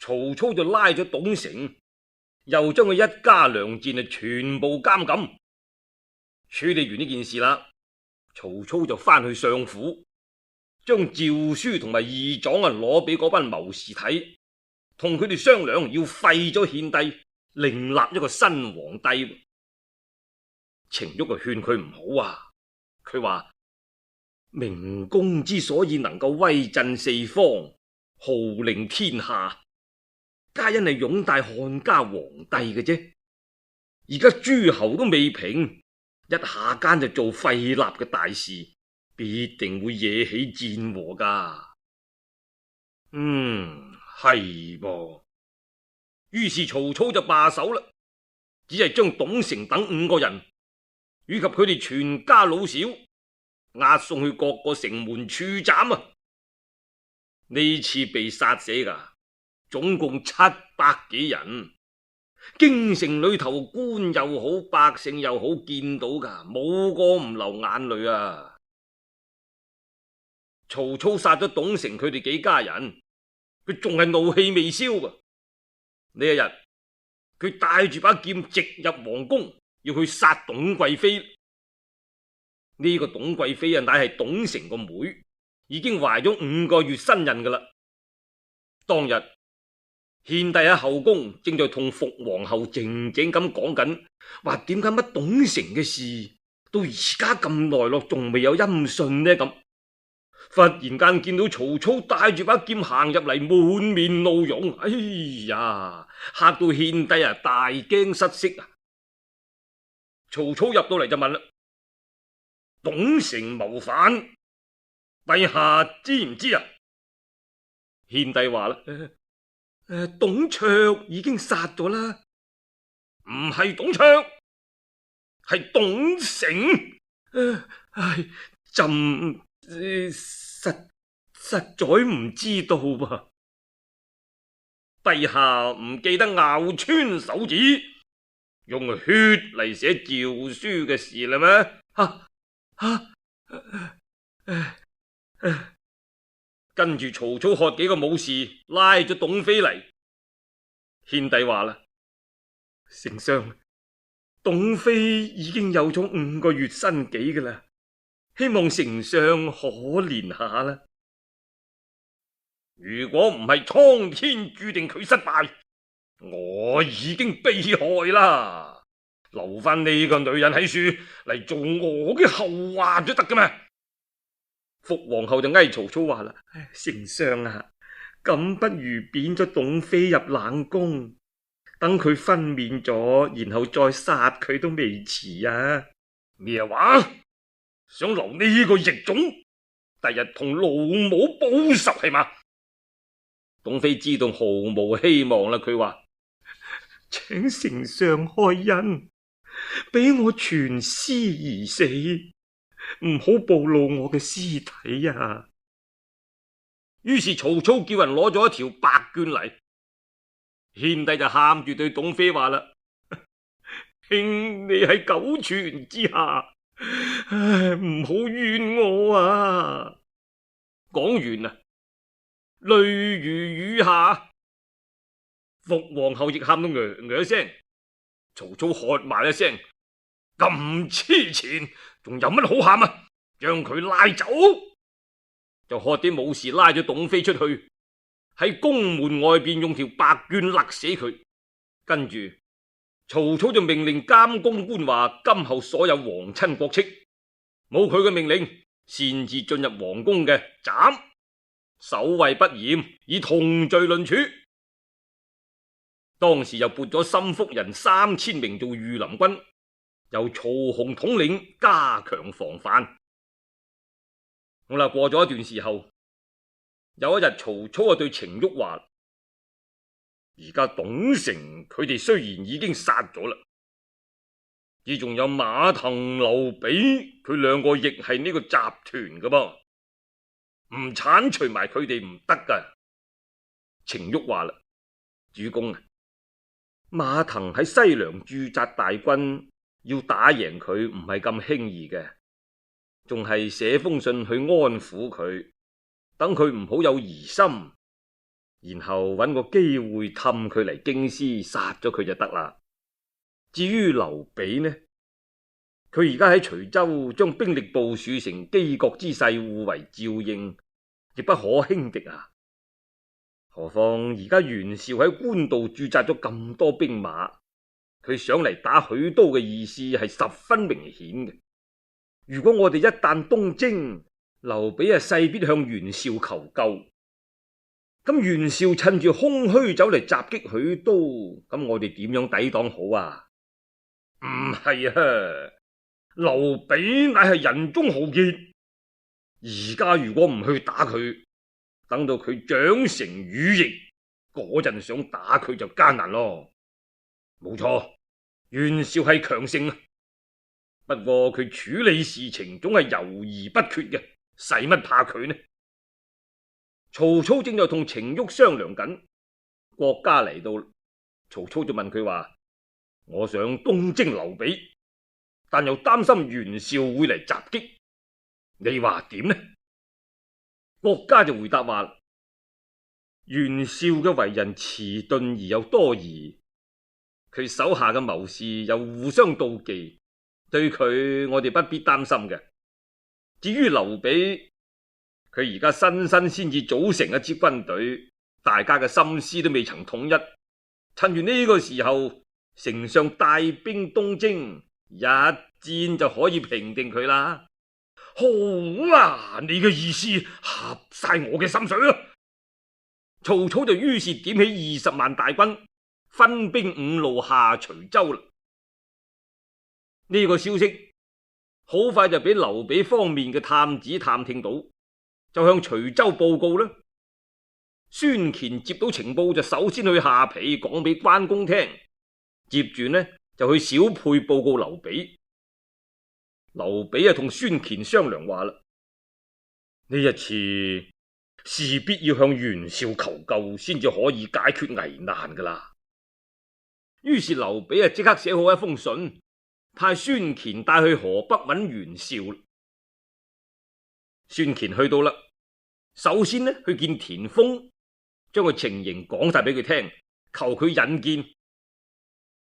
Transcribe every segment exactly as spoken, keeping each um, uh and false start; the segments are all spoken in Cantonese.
曹操就拉咗董承，又將佢一家良賤啊全部監禁。處理完呢件事啦，曹操就翻去相府，將詔書同埋義狀啊攞俾嗰班謀士睇，同佢哋商量要廢咗獻帝，另立一個新皇帝。程昱就勸佢唔好啊，佢話明公之所以能夠威震四方，號令天下，皆因係擁戴漢家皇帝嘅啫。而家諸侯都未平，一下間就做廢立嘅大事，必定會惹起戰禍噶。嗯，係噃。於是曹操就罷手啦，只係將董承等五個人以及佢哋全家老小押送去各個城門處斬啊！呢次被殺死噶總共七百幾人。京城裏頭官又好，百姓又好，見到噶冇個唔流眼淚啊！曹操殺咗董承佢哋幾家人，佢仲係怒氣未消噃。呢一日，佢帶住把劍直入皇宮，要去殺董貴妃。呢、這個董貴妃啊，乃係董承個妹，已經懷咗五個月身孕噶啦。當日獻帝喺後宮正在同伏皇后靜靜咁講緊，話點解乜董承嘅事到而家咁耐咯，仲未有音訊呢？咁忽然間見到曹操帶住把劍行入嚟，滿面怒容，哎呀，嚇到獻帝啊大驚失色啊！曹操入到嚟就問啦：董承謀反，陛下知唔知啊？獻帝話啦：誒、呃，董卓已經殺咗啦。唔係董卓，係董承。誒、呃，唉，朕、呃、實實在唔知道噃。陛下唔記得咬穿手指，用血嚟寫詔書嘅事啦咩？啊啊啊啊、跟住曹操喝幾個武士拉咗董妃嚟。獻帝話啦：丞相，董妃已經有咗五個月身紀噶啦，希望丞相可憐下啦。如果唔係蒼天注定佢失敗，我已經被害啦。留翻呢個女人喺處嚟做我嘅後話都得噶嘛。伏皇后就嗌曹操話啦：丞相啊，咁不如貶咗董妃入冷宮，等佢分娩咗，然後再殺佢都未遲啊！咩話？想留呢個逆種，第日同老母報仇係嘛？董妃知道毫無希望啦，佢話：請丞相開恩，俾我全屍而死，唔好暴露我嘅屍體啊！於是曹操叫人攞咗一條白絹嚟，獻帝就喊住對董妃話啦：兄，你喺九泉之下，唉，唔好怨我啊！講完啊，淚如雨下。伏皇后亦喊到呃呃聲。曹操喝埋一聲：咁痴纏，仲有乜好喊啊？將佢拉走！就喝啲武士拉咗董妃出去，喺宮門外邊用條白絹勒死佢。跟住曹操就命令監宮官話：今後所有皇親國戚，冇佢嘅命令擅自進入皇宮嘅，斬；守衛不嚴，以同罪論處。當時又撥咗心腹人三千名做御林軍，由曹洪統領，加強防範。好啦，過咗一段時候，有一日曹操啊對程昱話：而家董承佢哋雖然已經殺咗啦，而仲有馬騰、劉備，佢兩個亦係呢個集團噶噃，唔鏟除埋佢哋唔得噶。程昱話啦：主公啊，馬騰喺西涼駐紮大軍，要打贏佢唔係咁輕易嘅，仲係寫封信去安撫佢，等佢唔好有疑心。然後揾個機會氹佢嚟京師殺咗佢就得啦。至於劉備呢，佢而家喺徐州將兵力部署成機國之勢，互為照應，亦不可輕敵啊。何況而家袁紹喺官渡駐紮咗咁多兵馬，佢想嚟打許都嘅意思係十分明顯嘅。如果我哋一旦東征，劉備啊勢必向袁紹求救，咁袁紹趁住空虛走嚟襲擊許都，咁我哋點樣抵擋好啊？唔係啊，劉備乃係人中豪傑，而家如果唔去打佢，等到佢長成羽翼，嗰陣想打佢就艱難咯。冇錯，袁紹係強盛，不過佢處理事情總係猶豫不決嘅，使乜怕佢呢？曹操正在同程昱商量緊，郭嘉嚟到，曹操就問佢話：我想東征劉備，但又擔心袁紹會嚟襲擊，你話點呢？郭嘉就回答話：袁紹嘅為人遲鈍而又多疑，佢手下嘅謀士又互相妒忌，對佢我哋不必擔心嘅。至於劉備，佢而家新新先至組成一支軍隊，大家嘅心思都未曾統一，趁住呢個時候，丞相帶兵東征，一戰就可以平定佢啦。好啊，你嘅意思合晒我嘅心水啦。曹操就於是點起二十萬大軍，分兵五路下徐州啦。呢個消息好快就俾劉備方面嘅探子探聽到，就向徐州報告啦。孫乾接到情報就首先去下邳講俾關公聽，接住呢就去小沛報告劉備。劉備啊同孫乾商量話啦，呢一次勢必要向袁紹求救，先至可以解決危難噶啦。於是劉備啊即刻寫好一封信，派孫乾帶去河北揾袁紹。孫乾去到啦，首先呢去見田豐，將個情形講晒俾佢聽，求佢引薦。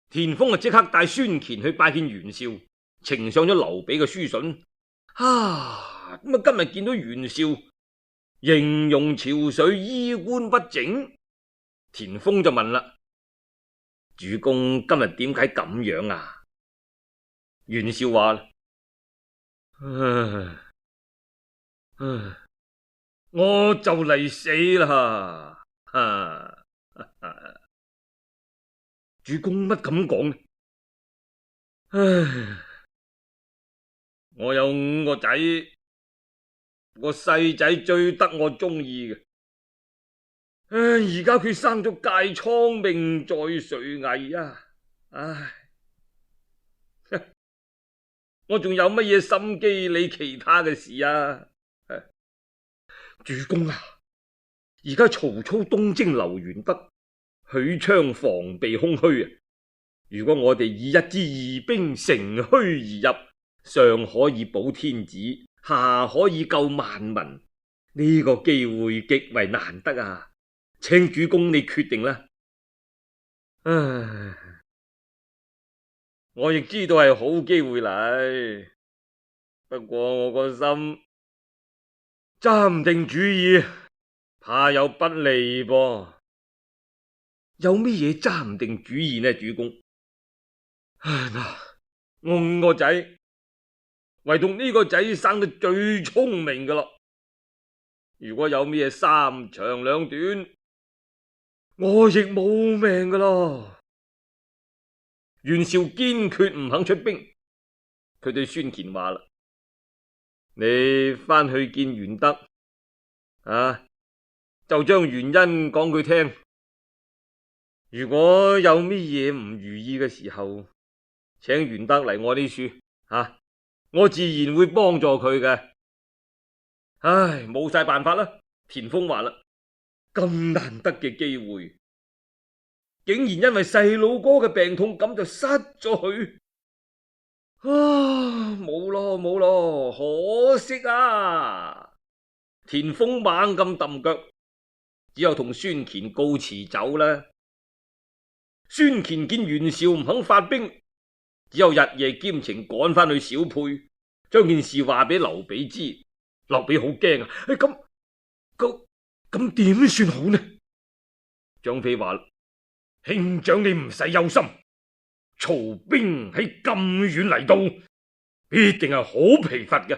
田豐啊即刻帶孫乾去拜見袁紹，呈上咗劉備嘅書信。啊，咁啊今日見到袁紹形容憔悴，衣冠不整，田豐就問啦：主公今日點解咁樣啊？袁紹話：唉唉，我就嚟死啦！啊啊、主公乜咁講呢？唉，我有五個仔，個細仔最得我中意嘅。唉，而家佢生咗疥瘡，命在垂危啊！唉，我仲有乜嘢心機理其他嘅事啊？主公啊，而家曹操東征劉元德，許昌防備空虛啊！如果我哋以一支義兵乘虛而入，上可以保天子，下可以救萬民，呢個機會極為難得啊！請主公你決定啦。唉，我亦知道係好機會嚟，不過我個心揸唔定主意，怕有不利噃。有咩嘢揸唔定主意呢？主公，唉嗱，我五個仔，唯獨呢個仔生得最聰明噶咯。如果有咩三長兩短，我亦冇命噶咯。袁紹堅決唔肯出兵，佢對孫乾話啦：你翻去見袁德啊，就將原因講佢聽。如果有咩嘢唔如意嘅時候，請袁德嚟我呢處啊，我自然會幫助佢嘅。唉，冇晒辦法啦。田豐話啦，咁難得嘅機會，竟然因為細佬哥嘅病痛咁就失咗佢。啊，冇咯冇咯，可惜啊！田豐猛咁揼腳，只有同孫乾告辭走啦。孫乾見袁紹唔肯發兵，只有日夜兼程趕翻去小沛，將件事話俾劉備知。劉備好驚啊！咁咁咁點算好呢？張飛話：兄長你唔使憂心，曹兵喺咁遠嚟到，必定係好疲乏嘅。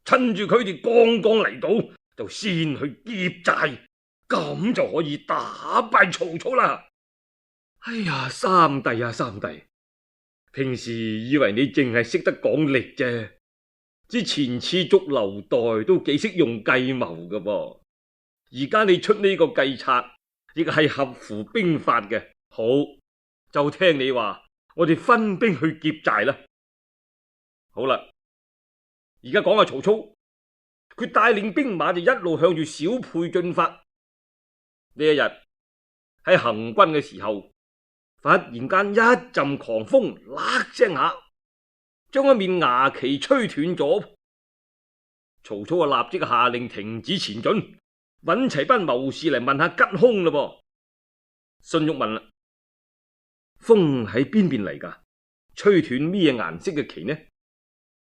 趁住佢哋剛剛嚟到，就先去劫寨，咁就可以打敗曹操啦。哎呀，三弟啊，三弟，平時以為你淨係識得講力啫，之前次捉劉岱都幾識用計謀㗎噃。而家你出呢個計策，亦係合乎兵法嘅。好，就聽你話，我哋分兵去劫寨啦。好啦，而家講下曹操，佢帶領兵馬就一路向住小沛進發。呢一日喺行軍嘅時候，忽然間一陣狂風，喇聲下將一面牙旗吹斷咗。曹操啊，立即下令停止前進，揾齊班謀士嚟問下吉凶嘞噃。荀彧問啦：風喺邊邊嚟噶？吹斷咩顏色嘅旗呢？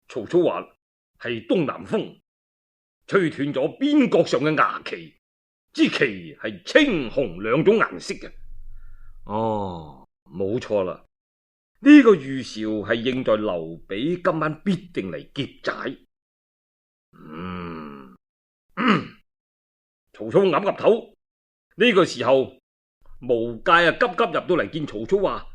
曹操話：係東南風，吹斷咗邊角上嘅牙旗，支旗係青紅兩種顏色嘅。哦，冇錯啦，呢、這個預兆係應在劉備今晚必定嚟劫寨。嗯，嗯，曹操岌岌頭。呢、這個時候，無界啊急急入到嚟見曹操，話：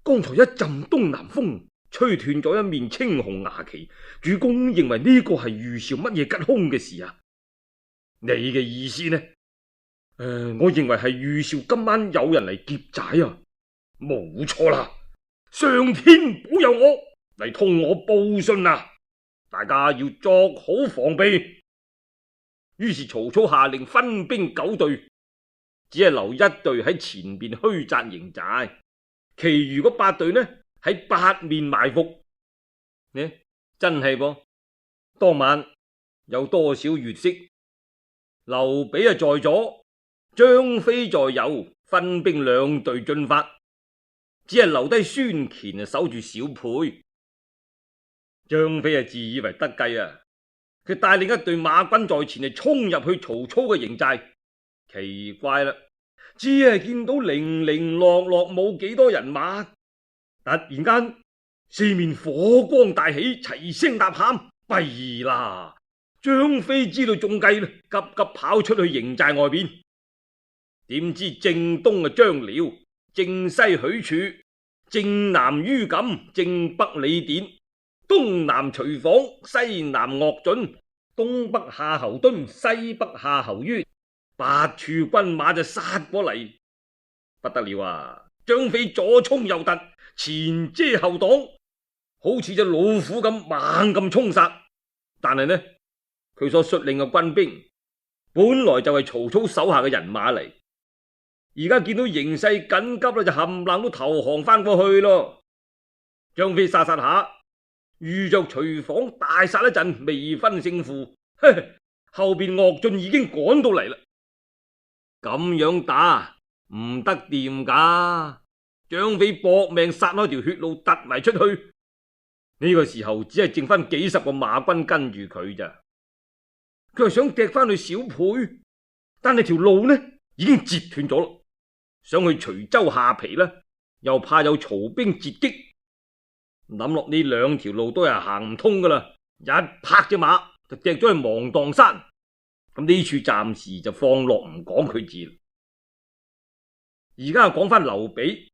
剛才一陣東南風，吹斷咗一面青紅牙旗，主公認為呢個係預兆乜嘢吉凶嘅事啊？你嘅意思呢？誒、呃，我認為係預兆今晚有人嚟劫寨啊！冇錯啦，上天保佑我嚟同我報信啊！大家要作好防備。於是曹操下令分兵九隊，只係留一隊喺前邊虛紮營寨，其餘嗰八隊呢喺八面埋伏。呢真係噃，當晚有多少月色？劉備啊在左，張飛在右，分兵兩隊進發，只係留低孫乾啊守住小沛。張飛啊自以為得計啊，佢帶領一隊馬軍在前嚟衝入去曹操嘅營寨。奇怪啦，只係見到零零落落冇幾多人馬，突然間四面火光大起，齊聲吶喊：弊啦！張飛知道中計啦，急急跑出去營寨外邊。點知正東啊張遼，正西許褚，正南于錦，正北李典，東南徐晃，西南岳準，東北夏侯惇，西北夏侯淵，八處軍馬就殺過嚟。不得了啊！張飛左衝右突，前遮後擋，好似隻老虎咁猛咁衝殺。但係呢，佢所率領嘅軍兵本來就係曹操手下嘅人馬嚟，而家見到形勢緊急啦，就冚唪唥都投降翻過去咯。張飛殺殺下，遇着徐晃大殺一陣，未分勝負。後邊岳進已經趕到嚟啦，咁樣打唔得掂噶。張飛搏命殺開條血路，突埋出去。呢個時候只係剩翻幾十個馬軍跟住佢咋。佢係想趯翻去小沛，但係條路呢已經截斷咗咯。想去徐州下邳呢，又怕有曹兵截擊。諗落呢兩條路都係行唔通噶啦，一拍隻馬就趯咗去芒砀山。咁呢處暫時就放落唔講佢字。而家講翻劉備，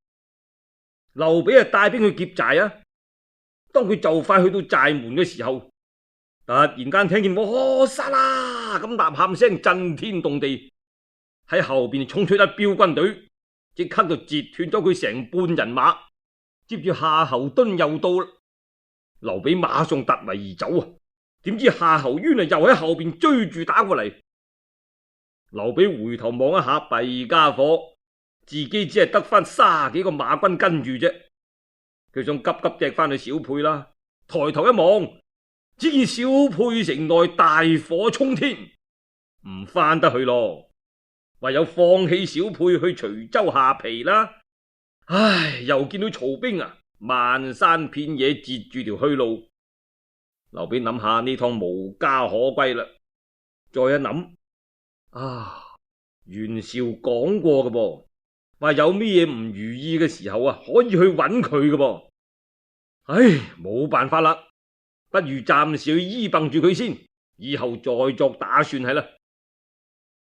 劉備啊帶兵去劫寨啊。當佢就快去到寨門嘅時候，突然間聽見我殺啦咁吶喊聲震天動地，喺後邊衝出一彪軍隊，即刻就截斷咗佢成半人馬。接住夏侯惇又到啦，劉備馬上突圍而走啊！點知夏侯淵啊又喺後邊追住打過嚟。劉備回頭望一下，弊家伙，自己只係得翻卅幾個馬軍跟住啫。佢想急急趯翻去小沛啦，抬頭一望，只見小沛城內大火沖天，唔翻得去咯。唯有放棄小沛去徐州下邳啦。唉，又見到曹兵啊，漫山遍野截住條去路。劉備諗下呢趟無家可歸啦，再一諗啊，袁紹講過嘅噃，話有咩嘢唔如意嘅時候啊，可以去揾佢嘅噃。唉，冇辦法啦，不如暫時去依傍住佢先，以後再作打算係啦。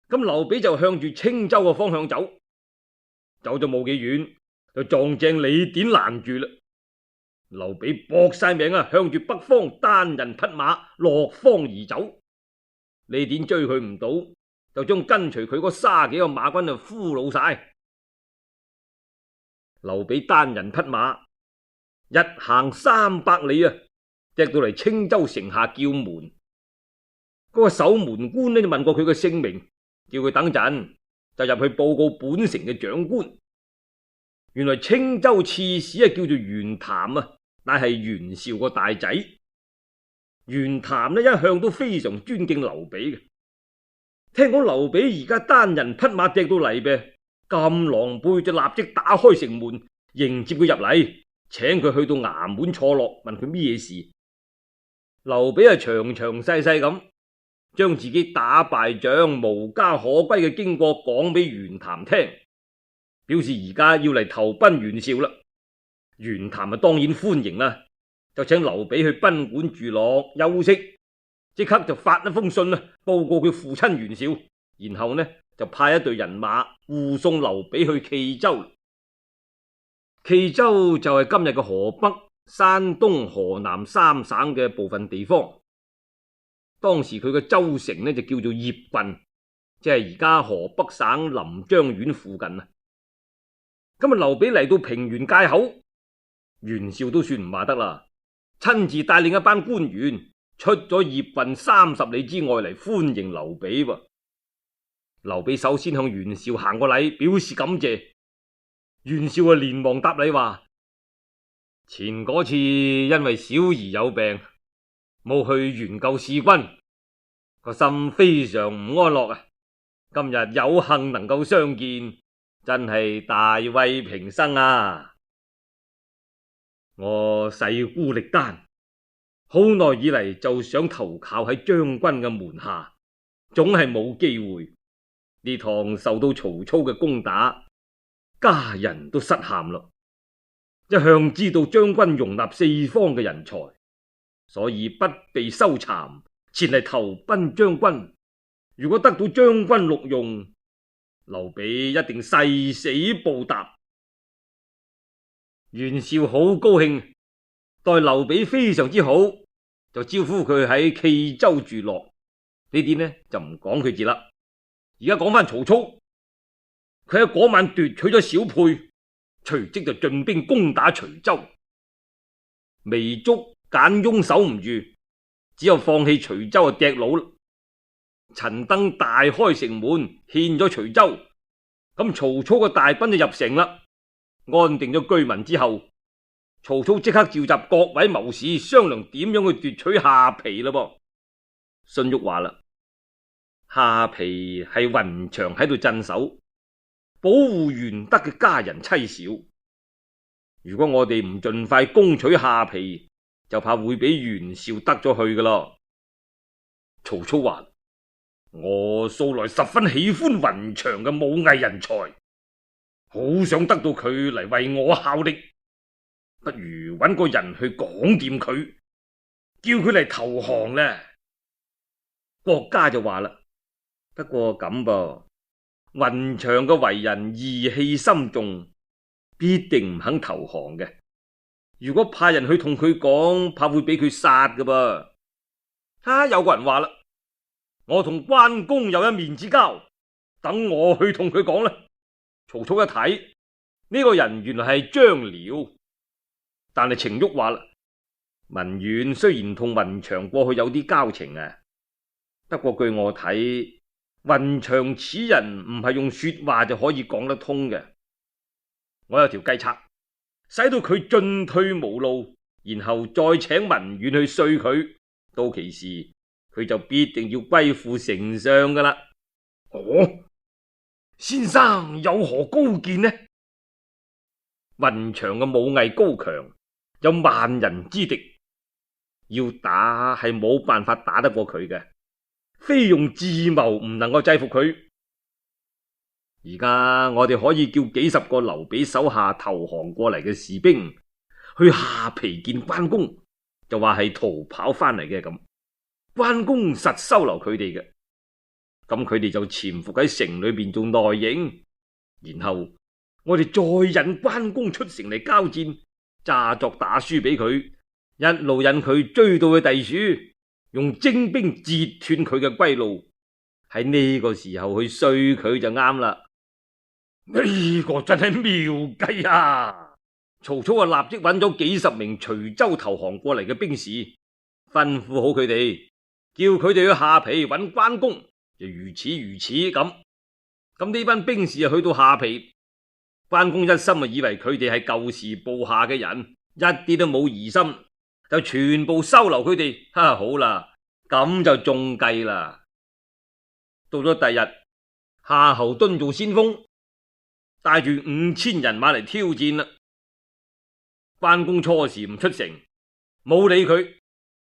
咁劉備就向住青州嘅方向走，走咗冇幾遠，就撞正李典攔住啦。劉備搏晒命啊，向住北方單人匹馬落荒而走。李典追佢唔到，就將跟隨佢嗰卅幾個馬軍就俘虜晒。劉備單人匹馬一行三百里啊，趯到嚟青州城下叫門。嗰、那個守門官呢就問過佢嘅姓名，叫佢等陣就入去報告本城嘅長官。原來青州刺史啊叫做袁譚啊，但係袁紹個大仔。袁譚呢一向都非常尊敬劉備嘅，聽講劉備而家單人匹馬趯到嚟唄，咁狼狽，就立即打開城門迎接佢入嚟，請佢去到衙門坐落，問佢咩事。劉備係詳詳細細咁將自己打敗仗無家可歸嘅經過講俾袁譚聽，表示而家要嚟投奔袁紹啦。袁譚啊當然歡迎啦，就請劉備去賓館住落休息，即刻就發一封信啊，報告佢父親袁紹，然後呢就派一隊人馬護送劉備去冀州。冀州就係今日嘅河北、山東、河南三省嘅部分地方。當時佢嘅州城呢就叫做鄴郡，即係而家河北省臨漳縣附近啊。今日劉備嚟到平原界口，袁紹都算唔話得啦，親自帶領一班官員出咗鄴郡三十里之外嚟歡迎劉備噃。劉備首先向袁紹行個禮，表示感謝。袁紹啊連忙答禮話：前嗰次因為小兒有病，冇去援救使君，個心非常唔安樂啊！今日有幸能夠相見，真係大慰平生啊！我勢孤力單，好耐以嚟就想投靠喺將軍嘅門下，總係冇機會。呢趟受到曹操嘅攻打，家人都失陷咯。一向知道將軍容納四方嘅人才，所以不被羞慚，前嚟投奔將軍。如果得到將軍錄用，劉備一定誓死報答。袁紹好高興，待劉備非常之好，就招呼佢喺冀州住落。呢啲呢就唔講佢字啦。而家講翻曹操，佢喺嗰晚奪取咗小沛，隨即就進兵攻打徐州。糜竺、簡雍守唔住，只有放棄徐州啊，趯佬。陳登大開城門，獻咗徐州。咁曹操嘅大軍就入城啦，安定咗居民之後，曹操即刻召集各位謀士商量點樣去奪取下邳啦噃。荀彧話啦，下邳係雲長喺度鎮守，保護玄德嘅家人妻小。如果我哋唔盡快攻取下邳，就怕會俾袁紹得咗去噶咯。曹操話：我素來十分喜歡雲長嘅武藝人才，好想得到佢嚟為我效力，不如揾個人去講掂佢，叫佢嚟投降呢。郭嘉就話啦，不過咁噃，雲長嘅為人義氣深重，必定唔肯投降嘅。如果派人去同佢講，怕會俾佢殺㗎噃。哈、啊，有個人話啦，我同關公有一面之交，等我去同佢講啦。曹操一睇呢、這個人原來係張遼，但係程昱話啦，文遠雖然同雲長過去有啲交情啊，不過據我睇，雲長此人唔係用說話就可以講得通嘅。我有條計策，使到佢進退無路，然後再請文遠去說佢，到其時佢就必定要歸附丞相噶啦。哦，先生有何高見呢？雲長嘅武藝高強，有萬人之敵，要打係冇辦法打得過佢嘅，非用智謀唔能夠制服佢。而家我哋可以叫幾十個劉備手下投降過嚟嘅士兵去下邳見關公，就話係逃跑翻嚟嘅咁，關公實收留佢哋嘅，咁佢哋就潛伏喺城裏邊做內應，然後我哋再引關公出城嚟交戰，詐作打輸俾佢，一路引佢追到去地處，用精兵截斷佢嘅歸路，喺呢個時候去衰佢就啱啦。呢個真係妙計啊！曹操啊，立即揾咗幾十名徐州投降過嚟嘅兵士，吩咐好佢哋，叫佢哋去下邳揾關公，就如此如此咁。咁呢班兵士啊，去到下邳，關公一心啊，以為佢哋係舊時部下嘅人，一啲都冇疑心，就全部收留佢哋。哈，好啦，咁就中計啦。到咗第日，夏侯惇做先鋒，帶住五千人馬嚟挑戰啦。關公初時唔出城，冇理佢。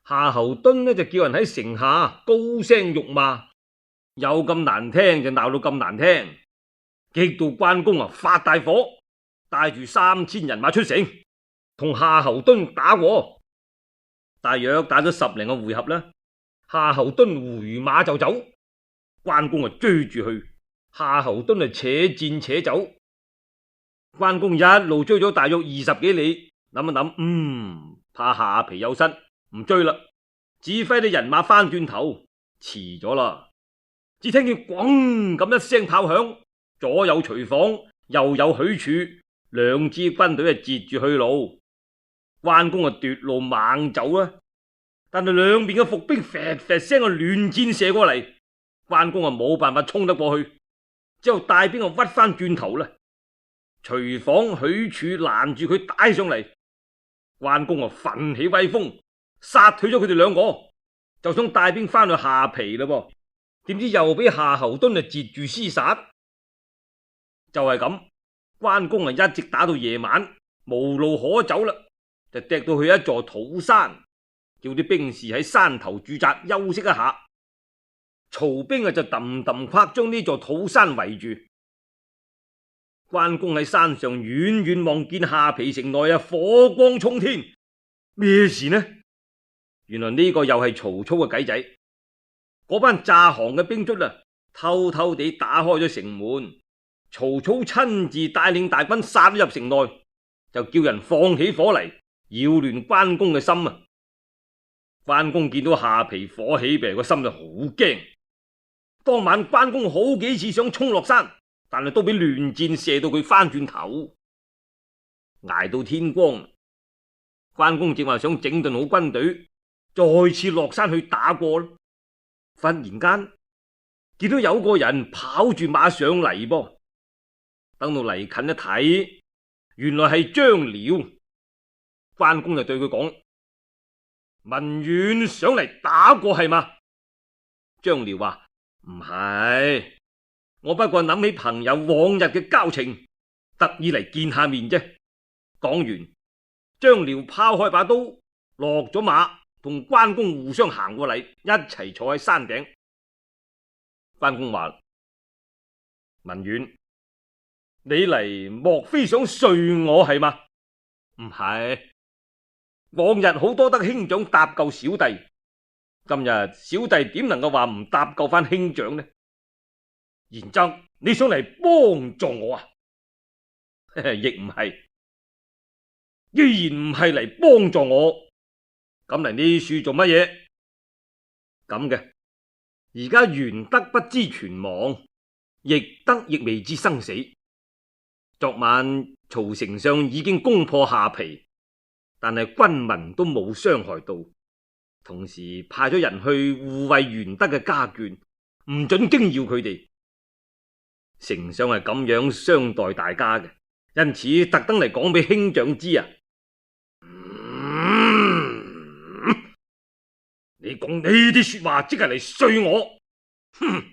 夏侯惇呢就叫人喺城下高聲辱罵，有咁難聽就鬧到咁難聽，激到關公啊發大火，帶住三千人馬出城，同夏侯惇打過。大約打咗十零個回合啦，夏侯惇回馬就走，關公啊追住去，夏侯惇啊且戰且走。關公一路追咗大約二十幾里，諗一諗，嗯，怕下邳有失，唔追啦，指揮啲人馬翻轉頭，遲咗啦。只聽見咣咁一聲炮響，左有徐晃，右有許褚，兩支軍隊啊截住去路。關公啊奪路猛走啦，但係兩邊嘅伏兵啡啡聲啊亂箭射過嚟，關公啊冇辦法衝得過去，之後帶兵啊屈翻轉頭啦。徐晃、許褚攔住佢打上嚟，關公啊奮起威風，殺退咗佢哋兩個，就想帶兵翻去下邳啦噃。點知又俾夏侯惇啊截住廝殺，就係咁，關公啊一直打到夜晚，無路可走啦，就趯到去一座土山，叫啲兵士喺山頭駐紮休息一下。曹兵啊就揼揼跨將呢座土山圍住。關公喺山上遠遠望見下邳城內啊火光衝天，咩事呢？原來呢個又係曹操嘅計仔。嗰班詐降嘅兵卒啊，偷偷地打開咗城門，曹操親自帶領大軍殺入城內，就叫人放起火嚟擾亂關公嘅心啊！關公見到下邳火起，病個心就好驚。當晚關公好幾次想衝落山，但係都俾亂箭射到佢翻轉頭。挨到天光，關公正話想整頓好軍隊，再次落山去打過咯。忽然間見到有個人跑住馬上嚟噃，等到嚟近一睇，原來係張遼。關公就對佢講：文遠上嚟打過係嘛？張遼話：唔係，我不過諗起朋友往日嘅交情，特意嚟見下面啫。講完，張遼拋開把刀，落咗馬，同關公互相行過嚟，一齊坐喺山頂。關公話：文遠，你嚟莫非想睡我係嘛？唔係，往日好多得兄長搭救小弟，今日小弟點能夠話唔搭救翻兄長呢？然則你想嚟幫助我啊？亦唔係。既然唔係嚟幫助我，咁嚟呢處做乜嘢？咁嘅，而家玄德不知存亡，翼德亦未知生死。昨晚曹丞相已經攻破下邳，但係軍民都冇傷害到，同時派咗人去護衛玄德嘅家眷，唔准驚擾佢哋。丞相係咁樣相待大家嘅，因此特登嚟講俾兄長知啊！你講呢啲說話，即係嚟睡我。哼！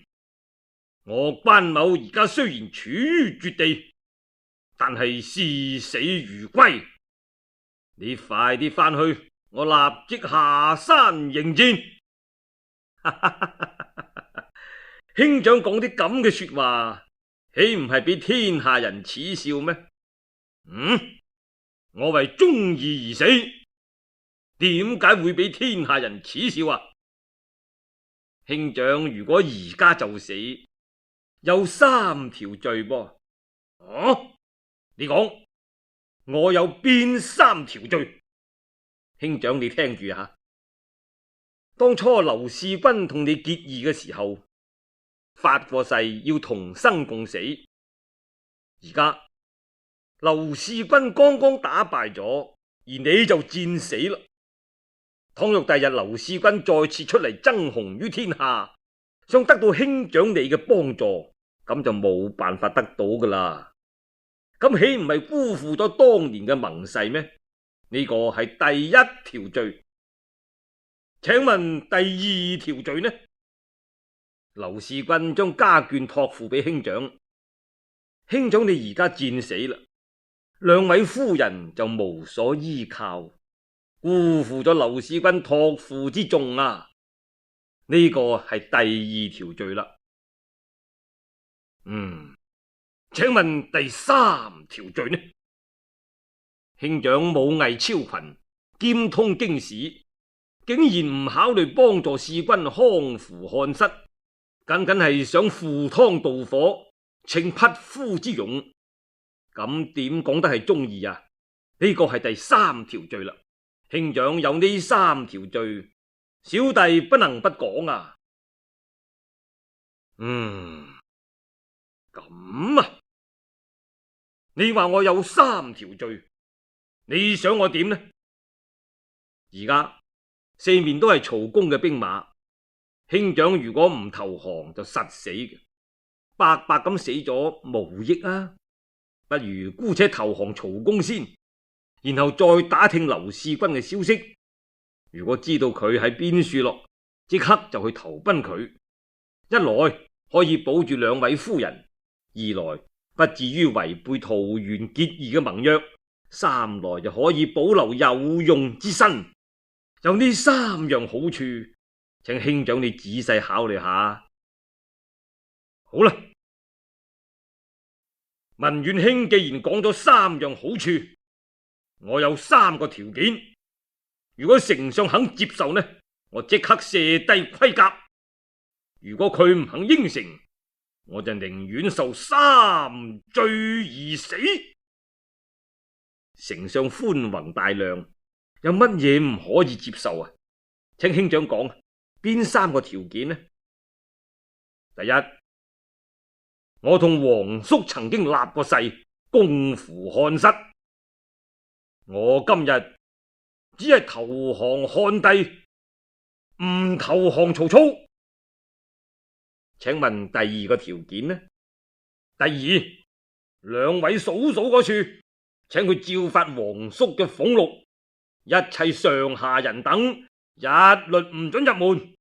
我關某而家雖然處於絕地，但係視死如歸。你快啲翻去，我立即下山迎戰。兄長講啲咁嘅說話，豈唔係俾天下人恥笑咩？嗯，我為忠義而死，點解會俾天下人恥笑啊？兄長如果而家就死，有三條罪噃。啊，你講我有邊三條罪？兄長你聽住下，當初劉使君同你結義嘅時候，發過誓要同生共死。而家劉使君剛剛打敗咗，而你就戰死啦。倘若第日劉使君再次出嚟爭雄於天下，想得到兄長你嘅幫助，咁就冇辦法得到噶啦。咁豈唔係辜負咗當年嘅盟誓咩？呢個係第一條罪。請問第二條罪呢？劉使君將家眷託付俾兄長，兄長你而家戰死啦，兩位夫人就無所依靠，辜負咗劉使君託付之重啊！呢個係第二條罪啦。嗯，請問第三條罪呢？兄長武藝超群，兼通經史，竟然唔考慮幫助使君康扶漢室，僅僅係想赴湯蹈火，逞匹夫之勇，咁點講得係忠義啊？呢個係第三條罪啦。兄長有呢三條罪，小弟不能不講啊。嗯，咁啊，你話我有三條罪，你想我點呢？而家四面都係曹公嘅兵馬，兄長如果唔投降就實死嘅，白白咁死咗無益啊！不如姑且投降曹公先，然後再打聽劉使君嘅消息。如果知道佢喺邊處落，即刻就去投奔佢。一來可以保住兩位夫人，二來不至於違背桃園結義嘅盟約，三來就可以保留有用之身。有呢三樣好處，請兄長你仔細考慮下。好啦，文遠兄既然講咗三樣好處，我有三個條件。如果丞相肯接受呢，我即刻卸低盔甲；如果佢唔肯應承，我就寧願受三罪而死。丞相寬宏大量，有乜嘢唔可以接受啊？請兄長講，邊三個條件呢？第一，我同皇叔曾經立過誓，共扶漢室。我今日只係投降漢帝，唔投降曹操。請問第二個條件呢？第二，兩位嫂嫂嗰處，請佢照發皇叔嘅俸祿，一切上下人等一律唔准入門。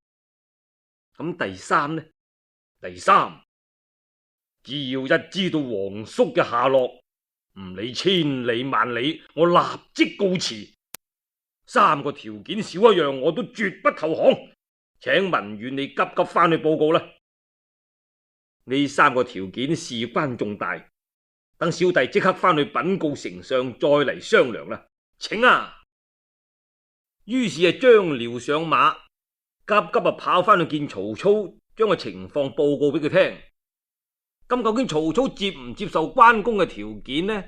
咁第三呢？第三，只要一知道皇叔嘅下落，唔理千里萬里，我立即告辭。三個條件少一樣，我都絕不投降。請文遠你急急翻去報告啦。呢三個條件事關重大，等小弟即刻翻去稟告丞相，再嚟商量啦。請啊！於是啊，張遼上馬，急急啊跑翻去見曹操，將個情況報告俾佢聽。咁究竟曹操接唔接受關公嘅條件呢？